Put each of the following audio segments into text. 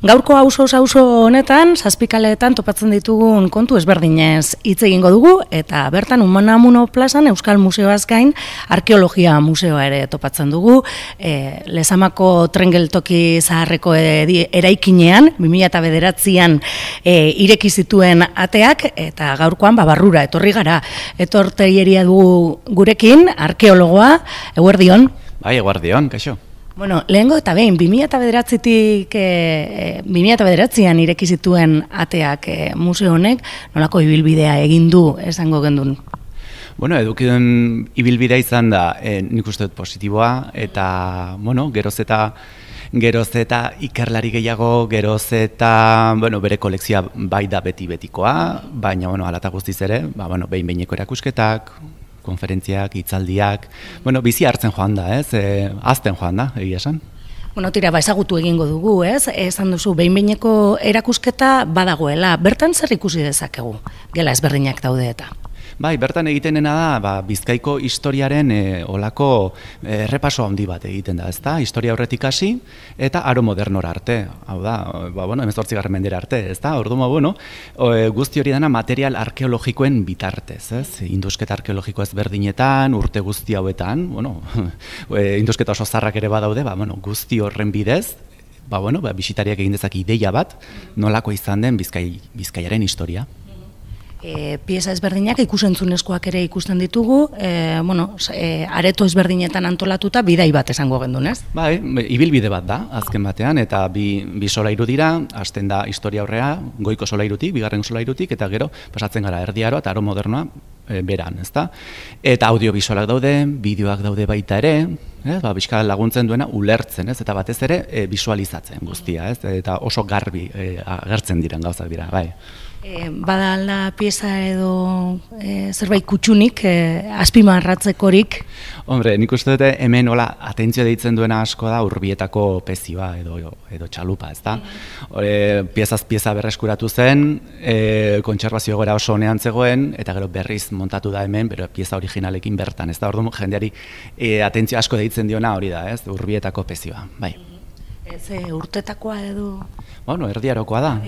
Gaurko auzo honetan, zazpikaleetan topatzen ditugun kontu ezberdinez hitz egingo dugu, eta bertan Unamuno plazan Euskal Museoaz gain Arkeologia Museoa ere topatzen dugu. Lezamako tren geltoki zaharreko eraikinean, 2009an ireki zituen ateak, eta gaurkoan barrura etorri gara. Etorteieria dugu gurekin, arkeologoa, eguerdion. Bai, eguerdion, kaixo. Bueno, lehengo eta behin, 2009an ireki zituen ateak museo honek, nolako ibilbidea egin du esango gendun? Bueno, edukidun ibilbidea izan da, nik uste dut positiboa, eta, bueno, geroz eta ikerlari gehiago, geroz eta, bueno, bere kolekzioa bai da beti-betikoa, baina, bueno, alata guztiz ere, behin-behineko erakusketak, konferentziak, hitzaldiak, bizi hartzen joan da, azten joan da, egia esan. Bueno, tira, ezagutu egingo dugu, esan duzu, behin-behineko erakusketa badagoela, bertan zer ikusi dezakegu, gela ezberdinak daude eta? Bai, bertan egiten dena da, Bizkaiko historiaren olako errepaso handi bat egiten da, ezta? Historia horretik hasi eta aro modernora arte. Hau da, 18. mendera arte, ezta? Orduan, guzti hori dena material arkeologikoen bitartez, ez? Indusketa arkeologiko ezberdinetan, urte guzti hauetan, indusketa oso zarrak ere badaude, guzti horren bidez, bisitariak egin dezak ideia bat, nolako izan den Bizkaiaren historia. Pieza ezberdinak ikusentzunezkoak ere ikusten ditugu, areto ezberdinetan antolatuta bidai bat esango gendun, ez? Bai, ibilbide bat da, azken batean, eta bi solairu dira, hasten da historia aurrea, goiko solairutik, bigarren solairutik, eta gero pasatzen gara erdiaroa eta aro modernoa beran, ezta? Eta audiobisualak daude, bideoak daude baita ere, bizka laguntzen duena ulertzen, ez? Eta batez ere visualizatzen guztia, ez? Eta oso garbi agertzen diren gauzak dira, bai. Badala pieza edo zerbait kutxunik, azpimarratzekorik? Hombre, nik uste dute hemen atentzio deitzen duena asko da Urbietako pezioa edo txalupa, ez da? Piezaz pieza berreskuratu zen, kontserbazio egoera oso honean zegoen, eta gero berriz montatu da hemen, bero pieza originalekin bertan, ez da? Orduan jendeari atentzio asko deitzen diona hori da, ez? Urbietako pezioa, bai. Urtetakoa edo? Erdiarokoa da,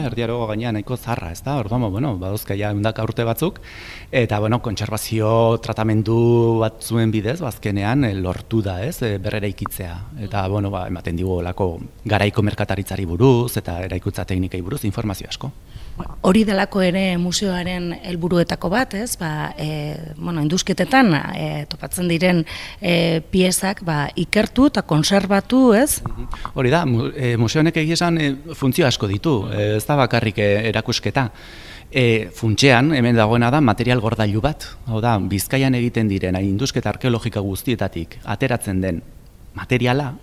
erdiaroko gainean nahiko zarra, ez da? Orduan, baduzka ja ehundaka urte batzuk, eta, kontserbazio tratamendu batzuen bidez, azkenean lortu da, ez? Berreraikitzea. Eta, ematen digu olako garaiko merkataritzari buruz, eta eraikuntza teknikai buruz, informazio asko. Hori delako ere museoaren helburuetako bat, ez? Indusketetan topatzen diren piezak ikertu eta konserbatu, ez? Hori da, museo honek egia esan funtzio asko ditu, ez da bakarrik erakusketa. Funtsean, hemen dagoena da material gordailu bat, hau da, Bizkaian egiten diren indusketa arkeologika guztietatik ateratzen den materiala,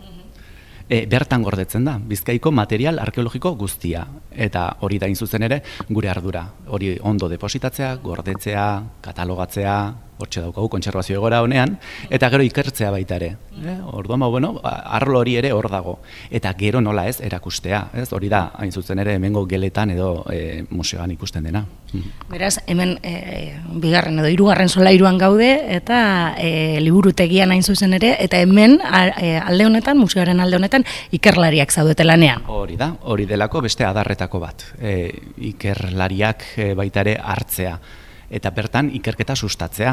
bertan gordetzen da, Bizkaiko material arkeologiko guztia. Eta hori da zuzen ere gure ardura. Hori ondo depositatzea, gordetzea, katalogatzea, hortxe daukagu kontserbazio egoera honean, eta gero ikertzea baita ere. Orduan, arlo hori ere hor dago. Eta gero nola ez erakustea. Hori da, hain zuzen ere, hemengo geletan edo museoan ikusten dena. Beraz, hemen bigarren edo hirugarren solairuan gaude, eta liburutegian hain zuzen ere, eta hemen alde honetan, museoaren alde honetan, ikerlariak zaudete lanean. Hori da, hori delako beste adarretako bat. Ikerlariak baita ere hartzea. Eta bertan ikerketa sustatzea.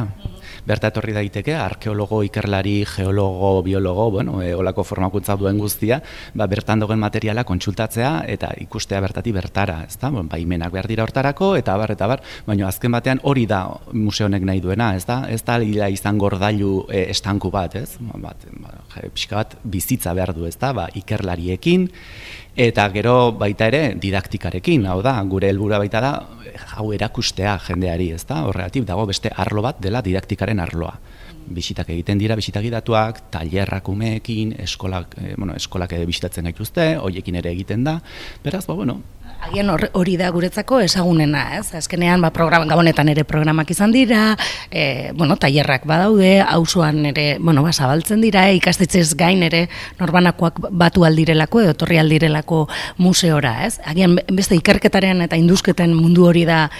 Berta etorri daiteke arkeologo, ikerlari, geologo, biologo, olako formakuntza duen guztia, bertan dagoen materiala kontsultatzea eta ikustea bertatik bertara, ezta? Baimenak behar dira hortarako eta bar, baina azken batean hori da museo honek nahi duena, ezta? Ez da izan gordailu estanku bat, ez? Pixka bat bizitza behar du, ezta? Ikerlariekin, eta gero baita ere didaktikarekin, hau da, gure helburua baita da, hau erakustea jendeari, ezta? Horregatik dago beste arlo bat dela didaktikaren arloa. Bisitak egiten dira, bisitagidatuak, tailerrak umeekin, eskolak bisitatzen gaituzte, horiekin ere egiten da, beraz, Agian hori da guretzako ezagunena, ez? Azkenean, gabonetan ere programak izan dira, tailerrak badaude, auzoan ere, zabaltzen dira, ikastetxez gain ere norbanakoak batu aldirelako edo torri aldirelako museora, ez? Agian beste ikerketaren eta indusketen mundu hori da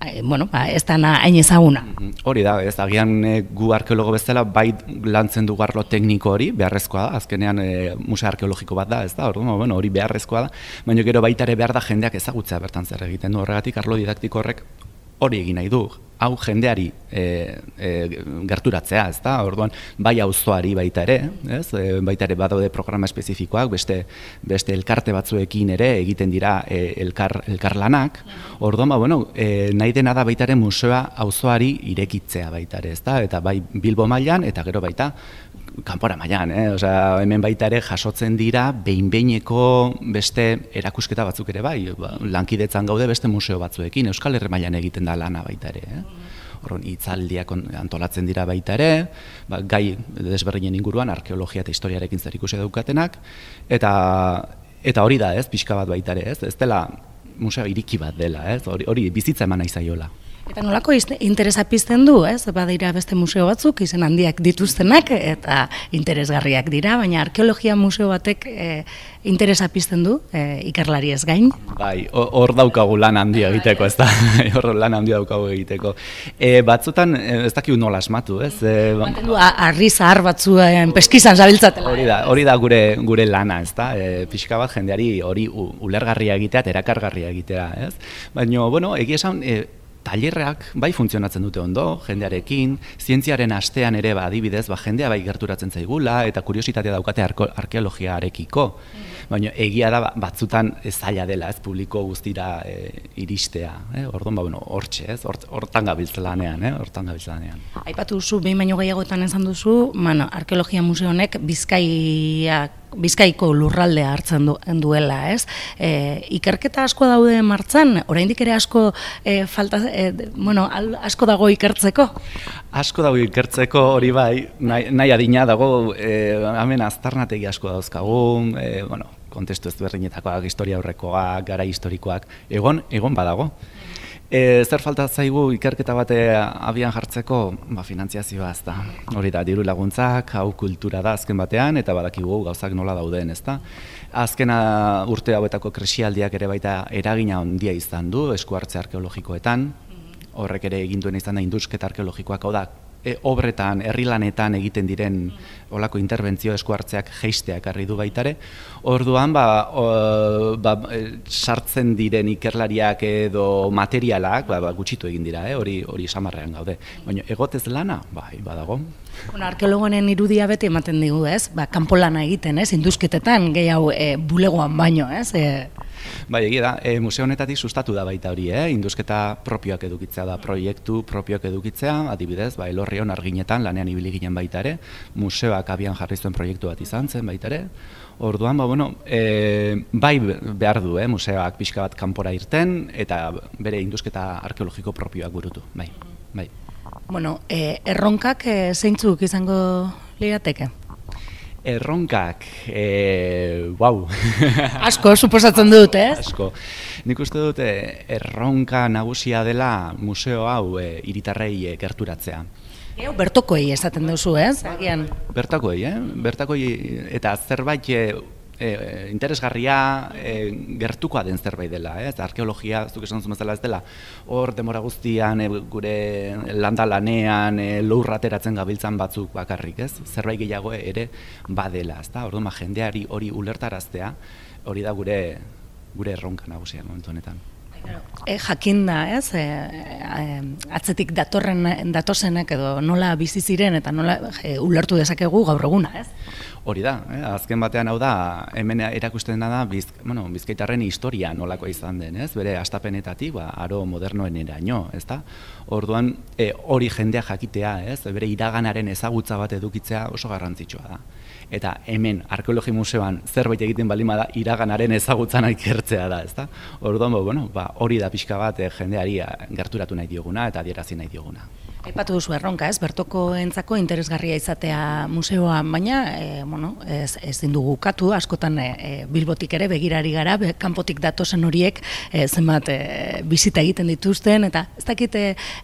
ez da hain ezaguna. Hori da, ez agian gu arkeologo bezala bai lantzen du arlo tekniko hori, beharrezkoa da, azkenean museo arkeologiko bat da, ez da, hori beharrezkoa da, baina gero baita ere behar da jendeak ezagutzea bertan zer egiten du, horregatik arlo didaktiko horrek hori egin nahi du, hau jendeari gerturatzea, ez da, orduan bai auzoari baita ere, ez, baita ere badaude programa espezifikoak, beste elkarte batzuekin ere egiten dira elkarlanak, orduan, nahi dena da baita ere museoa auzoari irekitzea baita ere, ez da, eta bai Bilbo mailan, eta gero baita kanpora mailan, osea, hemen baita ere jasotzen dira behin-behineko beste erakusketa batzuk ere bai, lankidetzan gaude beste museo batzuekin, Euskal Herri mailan egiten da lana baita ere, Horren, hitzaldiak antolatzen dira baita ere, gai desberdinen inguruan, arkeologia eta historiarekin zerikusia daukatenak, eta hori da, pixka bat baita ere, ez dela museo iriki bat dela, hori bizitza eman nahi zaiola. Eta nolako interesa pizten du, badira beste museo batzuk, izen handiak dituztenak, eta interesgarriak dira, baina arkeologia museo batek interesa pizten du, ikerlari ez gain. Bai, hor daukagu lan handia egiteko, ez da, hor lan handia daukagu egiteko. Batzutan, ez dakigu nola asmatu, ez? Baten du, arri zahar batzuen peskizan zabiltzatela. Hori da gure lana, ez da, pixka bat jendeari hori ulergarria egitea, eta erakargarria egitea, ez? Baina, egia esan, tailerrak bai funtzionatzen dute ondo, jendearekin, zientziaren astean ere adibidez, jendea bai gerturatzen zaigula, eta kuriositatea daukate arkeologiarekiko. Baina egia da batzutan zaila dela, ez publiko guztira iristea. Orduan, hortxe, hortan gabiltza lanean, hortan gabiltza lanean. Aipatu duzu, behin baino gehiagoetan esan duzu, arkeologia museo honek Bizkaiko lurraldea hartzen duela, ez? Ikerketa asko daude martxan, oraindik ere asko asko dago ikertzeko? Asko dago ikertzeko, hori bai, nahi adina dago, hemen aztarnategi asko dauzkagu, kontestu ezberdinetakoak, historia aurrekoak, gara historikoak, egon badago. Zer falta zaigu ikerketa bate abian jartzeko? Finantziazioa ez da. Hori da, diru laguntzak, hau kultura da azken batean, eta badakigu gauzak nola dauden, ez da. Azken urte hauetako krisialdiak ere baita eragina handia izan du, esku hartze arkeologikoetan, horrek ere egin duen izan da indusketa arkeologikoak, hau da, obretan, herrilanetan egiten diren olako interbentzio esku hartzeak jeisteak harri du baitare. Orduan, sartzen diren ikerlariak edo materialak gutxitu egin dira, hori samarrean gaude. Baina egotez lana, bai, badago. Arkeologonen irudia beti ematen digu, ez? Kanpo lana egiten, ez? Indusketetan, gehiago bulegoan baino, ez? Bai, egia da, museo honetatik sustatu da baita hori, indusketa propioak edukitzea da, proiektu propioak edukitzea, adibidez, Elorrion arginetan lanean ibili ginen baita ere, museoak abian jarri zuen proiektu bat izan zen baita ere. Orduan, bai behar du, museoak pixka bat kanpora irten, eta bere indusketa arkeologiko propioak burutu, bai. Erronkak zeintzuk izango lirateke? Erronkak, wow. Asko, suposatzen dut, ez? Asko. Nik uste dut erronka nagusia dela museo hau hiritarrei gerturatzea. Bertokoi esaten duzu, ez? Bertakoi, bertakoi eta zerbait interesgarria gertukoa den zerbait dela, arkeologia, zuk esan zuen bezala ez dela, hor demora guztian gure landa lanean lurra ateratzen gabiltzan batzuk bakarrik, ez? Zerbait gehiago ere badela, ezta? Orduan jendeari hori ulertaraztea, hori da gure erronka nagusia momentu honetan. Jakinda, ez? Atzetik datozenek edo nola bizi ziren eta nola ulertu dezakegu gaur eguna, ez? Hori da, azken batean hau da, hemen erakusten da bizkaitarren historia nolakoa izan den, ez? Bere hastapenetatik, aro modernoen eraino, ez da? Orduan, hori jendea jakitea, ez? Bere iraganaren ezagutza bat edukitzea oso garrantzitsua da. Eta hemen, arkeologi museoan zerbait egiten balima da, iraganaren ezagutzan ikertzea da, ez da? Orduan, hori da pixka bat jendeari gerturatu nahi dioguna eta adierazi nahi dioguna. Aipatu duzu erronka, ez? Bertokoentzako interesgarria izatea museoa, baina ezin dugu ukatu, askotan Bilbotik ere begirari gara, kanpotik datozen horiek zenbat bisita egiten dituzten, eta ez dakit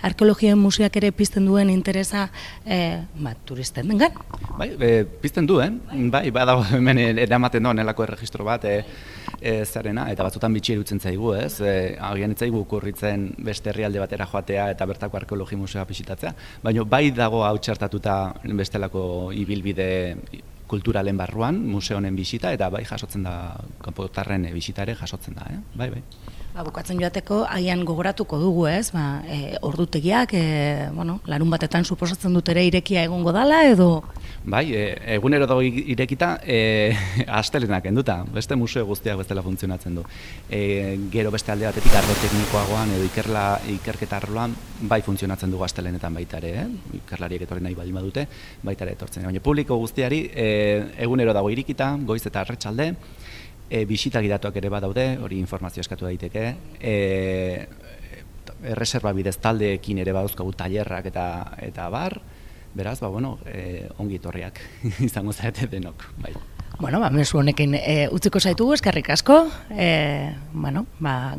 arkeologia museoak ere pizten duen interesa turisten dengan? Bai, pizten duen, bai, badago hemen eramaten doan elako erregistro bat, zarena, eta batzutan bitxi irutzen zaigu, ez? Agian ez zaigu okurritzen beste herrialde batera joatea eta bertako arkeologi museoa bisitatzea, baina bai dago hau txertatuta bestelako ibilbide kulturalen barruan, museo honen bisita, eta bai jasotzen da, kanpotarren bisita ere jasotzen da, bai. Bukatzen joateko, agian gogoratuko dugu, ez? Ordutegiak, larun batetan suposatzen dut ere irekia egongo dala, edo? Bai, egunero dago irekita, astelenak enduta, beste museo guztiak bestela funtzionatzen du. Gero beste alde batetik arlo teknikoagoan edo ikerketa arloan bai funtzionatzen dugu astelenetan baita ere, ikerlariek etorri nahi baldin badute, baita ere etortzen. Baina publiko guztiari egunero dago irekita, goiz eta arratsalde, bisita gidatuak ere badaude, hori informazio eskatu daiteke, erreserba bidez taldeekin ere badauzkagu tailerrak eta bar, beraz, ongi etorriak izango zarete denok, bai. Mezu honekin utziko zaitugu, eskerrik asko,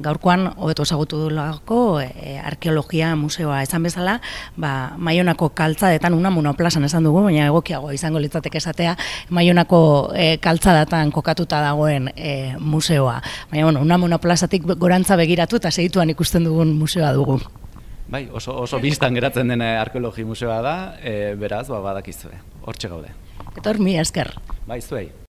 gaurkoan hobeto ezagutu dugulako arkeologia museoa esan bezala, Maionako kaltzadetan Unamuno plazan esan dugu, baina egokiago izango litzateke esatea, Maionako kaltzadatan kokatuta dagoen museoa. Baina, Unamuno plazatik gorantza begiratu eta segituan ikusten dugun museoa dugu. Bai, oso bistan geratzen den arkeologi museoa da, beraz, badakizue, hortxe gaude. Etor, mi esker. Bai, zuei.